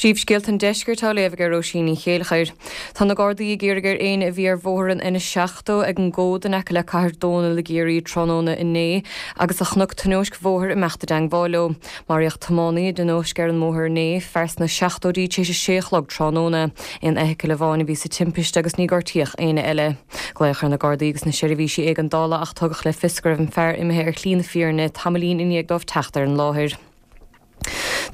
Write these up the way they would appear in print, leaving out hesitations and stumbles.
Príomhscéalta an Deiscirt á léamh ag Róisín Ní Chéilleachair. Tá na Gardaí ag iarraidh ar éinne a bhí ar bhóthar an N70 ag an gCód in aice le Cathair Dónall i gCiarraí tráthnóna inné agus a chonaic tionóisc bhóthair imeacht i dteangmháil leo. Maraíodh tiománaí i dtionóisc ar an mbóthar inné, fear sna seachtóidí tar éis a sé a chlog tráthnóna. Aon fheithicil amháin a bhí sa timpiste agus ní gortaíodh éinne eile. Glaodh ar na Gardaí agus na seirbhísí éigeandála ach tugadh le fios go raibh an fear imithe ar shlí na fírinne tamaillín i ndiaidh dóibh teacht ar an láthair.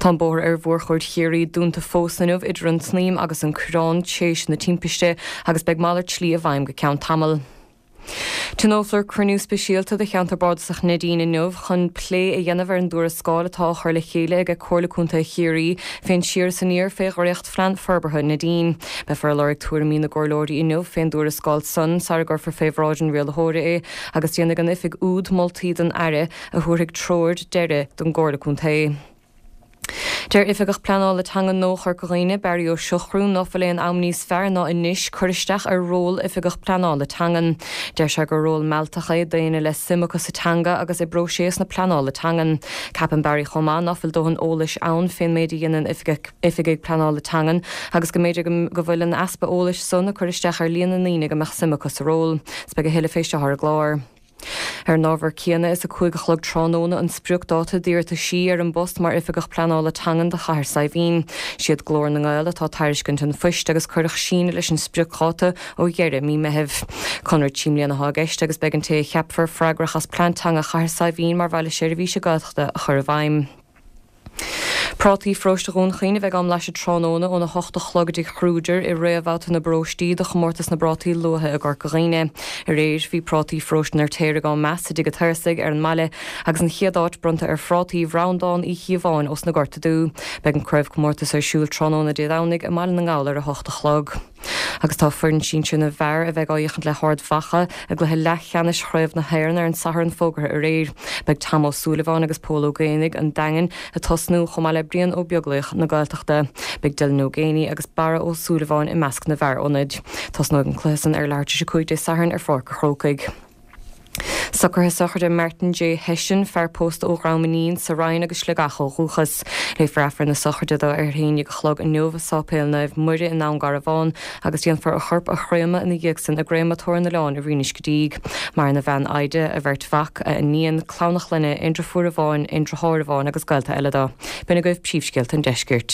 Tá an bóthar ar Mhórchuaird Chiarraí dúnta fós inniu idir an tSnaidhm agus an Coireán tar éis na timpiste agus beidh malairt slí i bhfeidhm go ceann tamaill. Tionólfar cruinniú speisialta de Cheantar Bardasach Neidín inniu chun plé a dhéanamh ar an dtuarascáil atá á chur le chéile ag Comhairle Contae Chiarraí fén siar is aniar fé dhréachtphlean forbartha Neidín. Beifear ag lorg tuairimí na gcomhairleoirí inniu fén dtuarascáil san sara gcuirfear fé bhráid an rialaitheora é agus déanfaidh an oifig úd moltaí don Aire a thabharfaidh treoir deiridh don gComhairle Contae. Deir Oifigeach Pleanála Teanga nua Chorca Dhuibhne, Barry Ó Siochrú, ná fuil aon am níos fearr ná anois cur isteach ar ról Oifigeach Pleanála Teangan. Deir sé gur ról mealltach é d'éinne le suim acu sa teanga agus i bpróiseas na pleanála teangan. Ceapann Barry chomh maith ná fuil dóthain eolais ann fén méid a dhéanann Oifigigh Pleanála Teangan agus go mb'fhéidir go bhfuil an easpa eolais san ag cur isteach ar líon na ndaoine go mbeadh suim acu sa ról. 'S beidh a thuilleadh fé seo ar an gclár. Ar an ábhar céanna, is 5 a chlog tráthnóna an spriocdáta d'iarrataisí ar an bpost mar Oifigeach Pleanála Teangan do Chathair Saidhbhín. Siad Glór na nGael atá ag tairiscint an phoist agus cuireadh síneadh leis an spriocdháta ó dheireadh mí Meithimh. Conradh 3 mbliana atá i gceist agus beidh an té a cheapfar freagrach as plean teanga Chathair Saidhbhín mar bhaile seirbhíse Gaeltachta a chur i bhfeidhm. Prátaí Pharóiste Dhún Chaoin a bheidh á mblaiseadh tráthnóna óna hocht a chlog i dTigh Kruger i réamhbhabhta na bparóistí do chomórtas na bprátaí luaithe i gCorca Dhuibhne. Aréir bhí prátaí Pharóiste an Fheirtéaraigh á meas i dTigh an tSaorsaigh ar an mbaile agus an chéad áit bronnta ar phrátaí Bhreandán Uí Chíobháin ós na Gorta Dubh. Beidh an craobhchomórtas ar siúl tráthnóna Dé Domhnaigh i mBaile na nGall ar 8 a chlog. Agus tá foireann sinsir na bhfear a bheidh á fhéachaint le hArd Mhacha i gcluiche leathcheannais Chraobh na hÉireann ar an Satharn fógartha aréir. Beidh Tom Ó Súilleabháin agus Pól Ó Géibheannaigh, an Daingin, ag tosnú, chomh maith le Brian Ó Beaglaoich na Gaeltachta. Beidh Dylan Ó Géibheannaigh agus Barra Ó Súilleabháin i measc na bhfear ionaid. Tosnóidh an cluiche san ar leathuair tar éis 5 Dé Sathairn ar Pháirc an Chrócaigh. Socruithe sochraide Martin J Hession, fear pósta ó Dhrom Iníon sa Rinn agus Sligeach ó dhúchas. Léifear Aifreann na sochraide dó ar a haon dhéag a chlog inniu i Sáipéal Naomh Muire i nDún Garbhán agus déanfar a chorp a chréamadh ina dhiaidh san i gCréamatóir an Oileáin i Rinn Uisce Díg. Maireann a bhean Ida, a bheirt mhac, a iníon, clann a chlainne, aon driofúr amháin, aon driotháir amháin agus gaolta eile dó. B'in agaibh príomhscéalta an deiscirt.